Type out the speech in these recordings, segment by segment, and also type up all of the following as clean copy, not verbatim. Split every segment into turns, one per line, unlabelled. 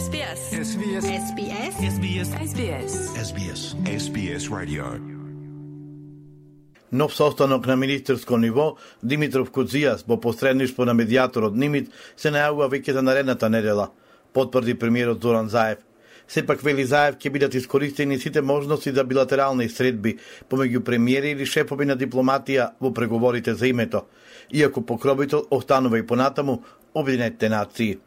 SBS.
SBS.
SBS.
SBS.
SBS.
SBS. SBS Radio.
Нов состанок на министерско ниво, Димитров Куцijas, во посредништво на медијаторот Нимит, се најавува веќе за наредната недела, потврди премиерот Зоран Заев. Сепак, вели Заев, ќе бидат искористени сите можности за билатерални средби помеѓу премиери или шефови на дипломатија во преговорите за името, иако покровител останува и понатаму Обединетите нации.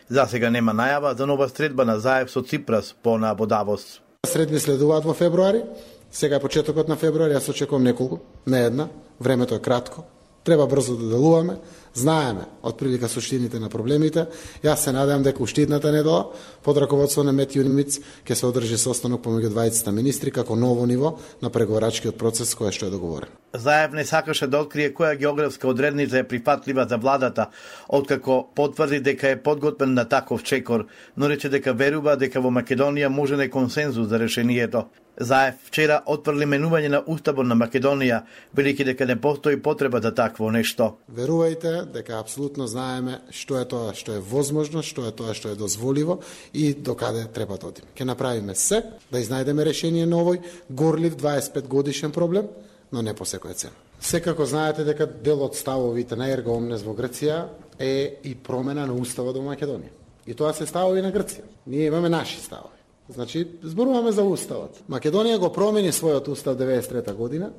За сега нема најава за нова средба на Заев со Ципрас во Давос.
Средби следуваат во февруари, сега е почетокот на февруари, јас очекувам неколку, не една, времето е кратко, треба брзо да делуваме, знаеме отприлика суштините на проблемите. Јас се надевам дека уште идната недела под раководство на Метју Нимиц ќе се одржи состанок помеѓу двајцата министри како ново ниво на преговорачкиот процес кој што е договорен.
Заев не сакаше да открие која географска одредница е прифатлива за владата, откако потврди дека е подготвен на таков чекор, но рече дека верува дека во Македонија може не консензус за решението. Заев вчера отфрли менување на Уставот на Македонија, велики дека не постои потреба за такво нешто.
Верувајте дека апсолутно знаеме што е тоа што е возможно, што е тоа што е дозволиво и докаде треба да одиме. Ќе направиме се да изнајдеме решение на овој горлив 25 годишен проблем, но не по секоја цена. Секако знаете дека дел од ставовите на Ерго Омнес во Грција е и промена на Уставот во Македонија. И тоа се ставови на Грција. Ние имаме наши ставови. Значи, зборуваме за Уставот. Македонија го промени својот Устав 93 година,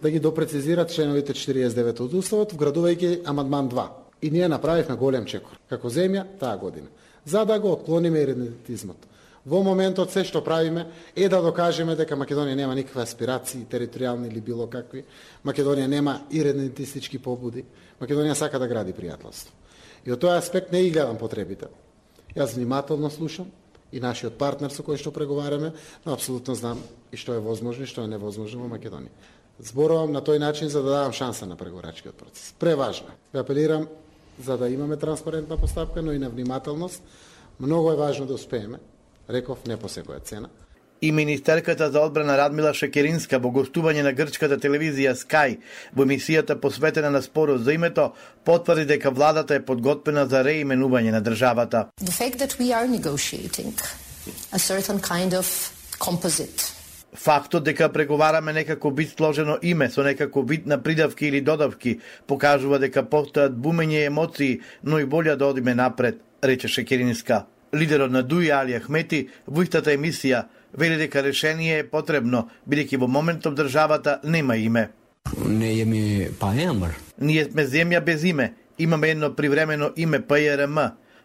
да ги допрецизира членовите 49 од Уставот, вградувајќи амандман 2. И ние направивме голем чекор, како земја, таа година, за да го отклониме иридентизмот. Во моментот се што правиме е да докажеме дека Македонија нема никакви аспирации, територијални или било какви. Македонија нема иридентистички побуди. Македонија сака да гради пријателство. И од тој аспект не ги гледам потребите. Јас внимателно слушам и нашиот партнер со кој што преговараме, но апсолутно знам и што е возможно и што е невозможно во Македонија. Зборувам на тој начин за да дадам шанса на преговорачкиот процес. Преважно. Ве апелирам за да имаме транспарентна постапка, но и на внимателност. Многу е важно да успееме. Реков, не по секоја цена.
И министерката за одбрана Радмила Шекеринска во гостување на грчката телевизија Sky во емисијата посветена на спорот за името потврди дека владата е подготвена за реименување на државата.
The fact that we are negotiating a certain kind of composite.
Фактот дека преговараме некако вид сложено име со некако вид на придавки или додавки покажува дека постојат бумење емоции, но и волја да одиме напред, рече Шекеринска. Лидерот на ДУИ Али Ахмети во истата емисија вели дека решение е потребно, бидејќи во моментов државата нема име. Ние сме земја без име, имаме едно привремено име ПРМ.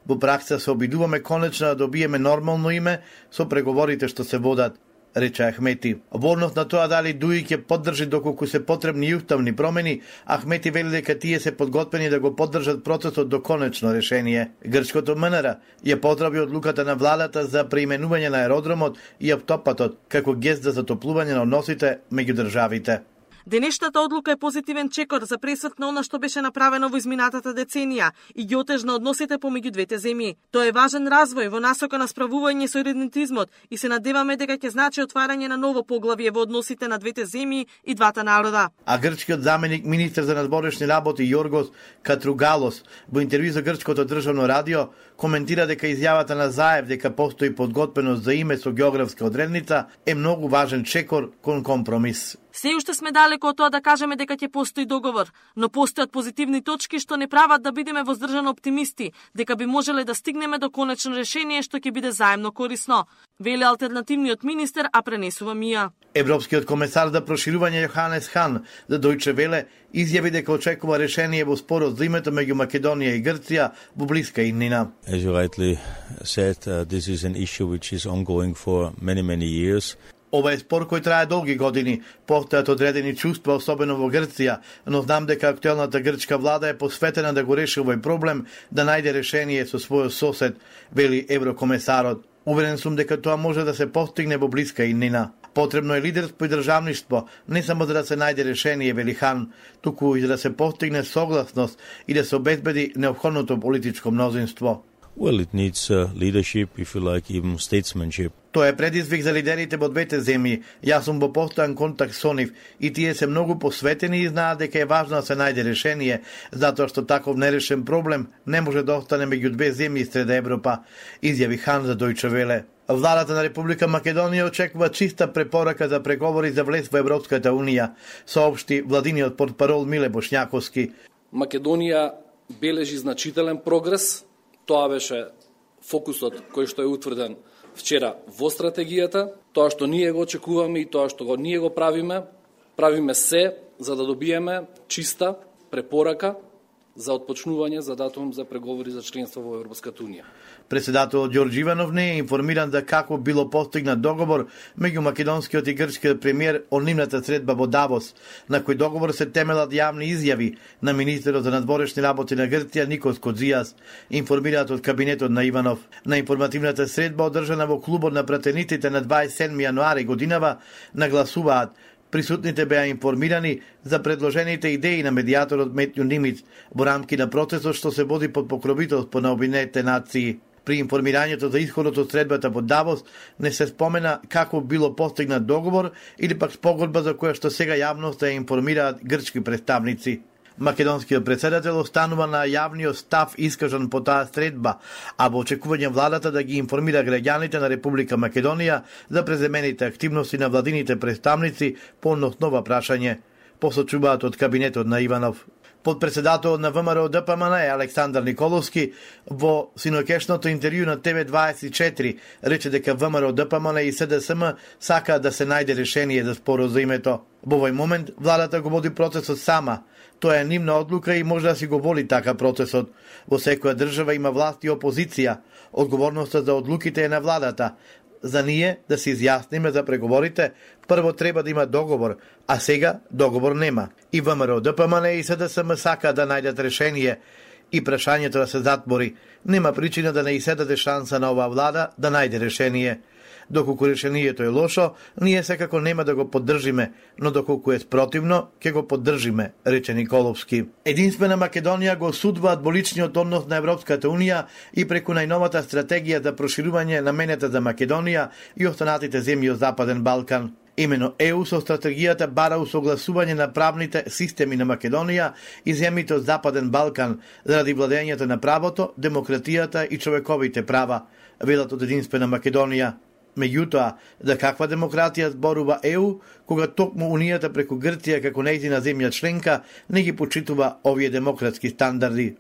Во пракса се обидуваме конечно да добиеме нормално име со преговорите што се водат, рече Ахмети. Во однос на тоа дали ДУИ ќе поддржи доколку се потребни и уставни промени, Ахмети вели дека тие се подготвени да го поддржат процесот до конечно решение. Грчкото МНР ја поздрави одлуката на владата за преименување на аеродромот и автопатот како гест за затоплување на односите меѓу државите.
Денешната одлука е позитивен чекор за пресврт на она што беше направено во изминатата деценија и ги отежна односите помеѓу двете земји. Тоа е важен развој во насока на справување со иридентизмот и се надеваме дека ќе значи отварање на ново поглавје во односите на двете земји и двата народа.
А грчкиот заменик министер за надворешни работи Јоргос Катругалос во интервју за грчкото државно радио коментира дека изјавата на Заев дека постои подготвеност за име со географска одредница е многу важен чекор кон компромис.
Се уште сме далеко од тоа да кажеме дека ќе постои договор, но постојат позитивни точки што не прават да бидеме воздржано оптимисти, дека би можеле да стигнеме до конечно решение што ќе биде заемно корисно, вели алтернативниот министер, а пренесува Мија.
Европскиот комесар за проширување Јоханес Хан за Дојче Веле изјави дека очекува решение во спорот за името меѓу Македонија и Грција во блиска иднина.
As you rightly said, this is an issue which is ongoing for many years.
Ова е спор кој трае долги години, постојат одредени чувства, особено во Грција, но знам дека актуелната грчка влада е посветена да го реши овој проблем, да најде решение со својот сосед, вели еврокомесарот. Уверен сум дека тоа може да се постигне во блиска иднина. Потребно е лидерство и државништво, не само за да се најде решение, вели Хан, туку и за да се постигне согласност и да се обезбеди неопходното политичко мнозинство.
Well, it needs leadership, if you like, even statesmanship.
Тоа е предизвик за лидерите во двете земји. Јас сум во постојан контакт со нив и тие се многу посветени и знаат дека е важно да се најде решение, затоа што таков нерешен проблем не може да остане меѓу две земји сред Европа, изјави Хан за Дојче Веле. Владата на Република Македонија очекува чиста препорака за преговори за влез во Европската Унија, соопшти владиниот портпарол Миле Бошњаковски.
Македонија бележи значителен прогрес. Тоа беше фокусот кој што е утврден вчера во стратегијата. Тоа што ние го очекуваме и тоа што ние го правиме се за да добиеме чиста препорака за отпочнување за датум за преговори за членство во Европската Унија.
Председателот Ѓорѓе Иванов не е информиран за како било постигнат договор меѓу македонскиот и грчкиот премиер од нивната средба во Давос, на кој договор се темелат јавни изјави на министерот за надворешни работи на Грција Никос Коджијас, информираат од кабинетот на Иванов. На информативната средба одржана во клубот на пратениците на 27 јануари годинава нагласуваат присутните беа информирани за предложените идеи на медијаторот Метју Нимиц во рамки на процесот што се води под покровителство на Обединетите нации. При информирањето за исходот од средбата во Давос не се спомена како било постигнат договор или пак спогодба за која што сега јавноста ја информираат грчки представници. Македонскиот председател останува на јавниот став искажан по таа средба, а во очекување владата да ги информира граѓаните на Република Македонија за преземените активности на владините представници по ова прашање, посочуваат од кабинетот на Иванов. Подпредседателот на ВМРО ДПМН е Александар Николовски во синоќешното интервју на ТВ24 рече дека ВМРО ДПМН и СДСМ сакаат да се најде решение за споразумето. Во овој момент владата го води процесот сама. Тоа е нивна одлука и може да си го воли така процесот. Во секоја држава има власт и опозиција. Одговорноста за одлуките е на владата. За ние да се изјасниме за преговорите, прво треба да има договор, а сега договор нема. И ВМРО ДПМН и СДСМ сака да најдат решение и прашањето да се затвори. Нема причина да не се даде шанса на оваа влада да најде решение. Доколку решението е лошо, ние секако нема да го поддржиме, но доколку е спротивно, ќе го поддржиме, рече Николовски. Единствена Македонија го осудува дволичниот однос на Европската Унија и преку најновата стратегија за проширување наменета за Македонија и останатите земји од Западен Балкан. Имено ЕУ со стратегијата бара усогласување на правните системи на Македонија и земјите од Западен Балкан заради владењето на правото, демократијата и човековите права, велат од Единствена Македонија. Меѓутоа, за каква демократија зборува ЕУ, кога токму Унијата преку Грција како нејзина земја членка не ги почитува овие демократски стандарди.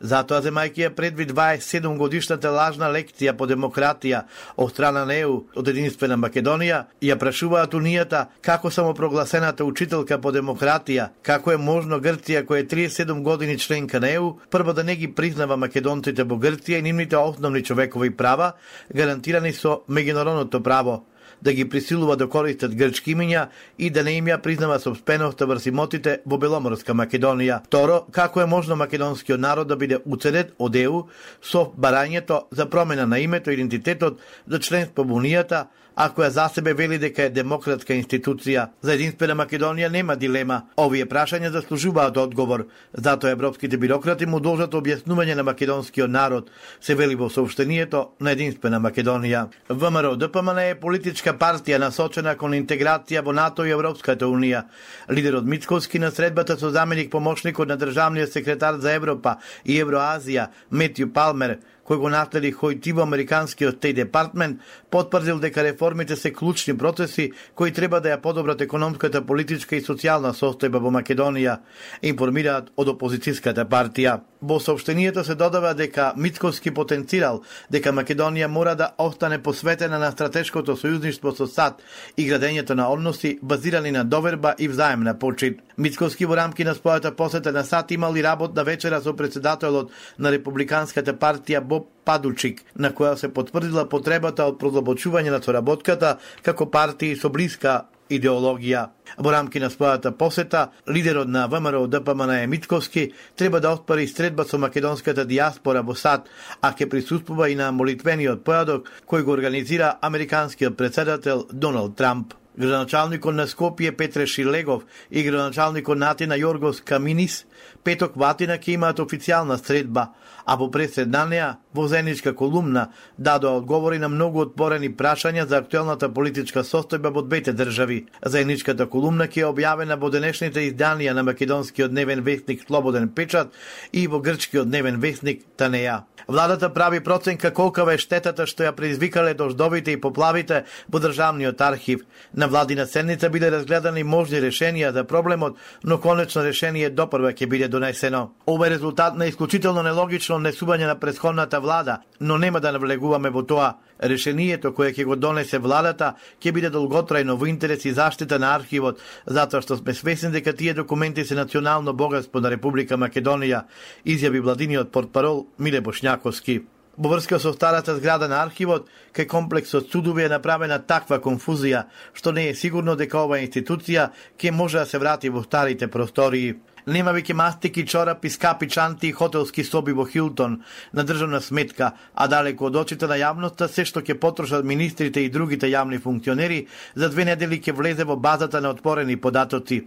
Затоа, земајќи ја предвид 27 годишната лажна лекција по демократија од страна на ЕУ од Единствена Македонија, ја прашуваат Унијата како самопрогласената учителка по демократија, како е можно Грција која е 37 години членка на ЕУ, прво да не ги признава македонците во Грција и нивните основни човекови права, гарантирани со меѓународното право, да ги присилува да користат грчки имиња и да не им ја признава собственоста врз имотите во Беломорска Македонија. Второ, како е можно македонскиот народ да биде уценет од ЕУ со барањето за промена на името и идентитетот за членство во Унијата, ако ја за себе вели дека е демократска институција. За Единствена Македонија нема дилема. Овие прашања заслужуваат одговор. Затоа европските бирократи му должат објаснување на македонскиот народ, се вели во соопштението на Единствена Македонија. ВМРО ДПМН е политичка партија насочена кон интеграција во НАТО и Европската Унија. Лидерот Мицковски на средбата со заменик помошникот на државниот секретар за Европа и Евроазија Метју Палмер, кој го наследи Хојтиво американскиот Стейт Департмент, потврдил дека реформите се клучни процеси кои треба да ја подобрат економската, политичка и социјална состојба во Македонија, информираат од опозицијската партија. Во соопштението се додава дека Мицковски потенцирал дека Македонија мора да остане посветена на стратешкото сојузништво со САД и градењето на односи базирани на доверба и взаемна почит. Мицковски во рамки на својата посета на САД имал и работна вечера со председателот на Републиканската партија Боб Падучик, на која се потврдила потребата од продлабочување на соработката како партии со блиска идеологија. Во рамки на својата посета, лидерот на ВМРО ДПМН Мицковски треба да отпари средба со македонската диаспора во САД, а ќе присуствува и на молитвениот појадок кој го организира американскиот председател Доналд Трамп. Градоначалникот на Скопје Петре Шилегов и градоначалникот на Атина Јоргос Каминис Петок Ватина ќе имаат официјална средба, а по пресед на неа, во заедничка колумна, дадоа одговори на многу отворени прашања за актуелната политичка состојба во двете држави. Заедничката колумна ќе е објавена во денешните изданија на македонскиот дневен весник Слободен печат и во грчкиот дневен весник Танеја. Владата прави проценка колкава е штетата што ја предизвикале дождовите и поплавите во државниот архив. На владина седница биле разгледани можни решенија за проблемот, но конечно решение допрва ќе биде донесено. Ова е резултат на исклучително нелогично несување на претходната влада, но нема да навлегуваме во тоа. Решението кое ќе го донесе владата ќе биде долготрајно во интерес и заштита на архивот, затоа што сме свесни дека тие документи се национално богатство на Република Македонија, изјави владиниот портпарол Миле Бошњаковски. Во врска со старата зграда на архивот, кај комплексот судови е направена таква конфузија, што не е сигурно дека оваа институција ќе може да се врати во старите простории. Нема веќе мастики, чорапи, скапи чанти и хотелски соби во Хилтон на државна сметка, а далеко од очите на јавноста се што ќе потрошат министрите и другите јавни функционери, за 2 недели ќе влезе во базата на отворени податоци.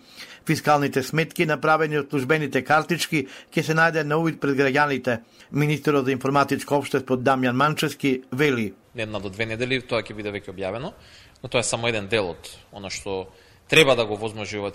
Фискалните сметки, направени од службените картички, ќе се најде на увид пред граѓаните. Министерот за информатичко општество Дамјан Манчевски вели:
1 до 2 недели тоа ќе биде веќе објавено, но тоа е само еден дел од она што треба да го возможува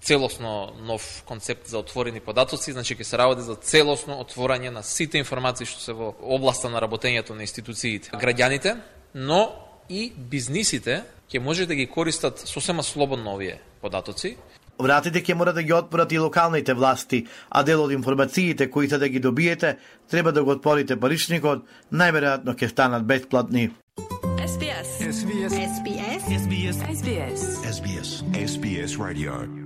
целосно нов концепт за отворени податоци, значи ќе се работи за целосно отворање на сите информации што се во областа на работењето на институциите. Граѓаните, но и бизнисите ќе може да ги користат сосема слободно овие податоци.
Вратите ќе мора да ги отворат и локалните власти, а дел од информациите кои се да ги добиете, треба да го отворите паричникот, најверојатно ќе станат бесплатни.
SBS Radio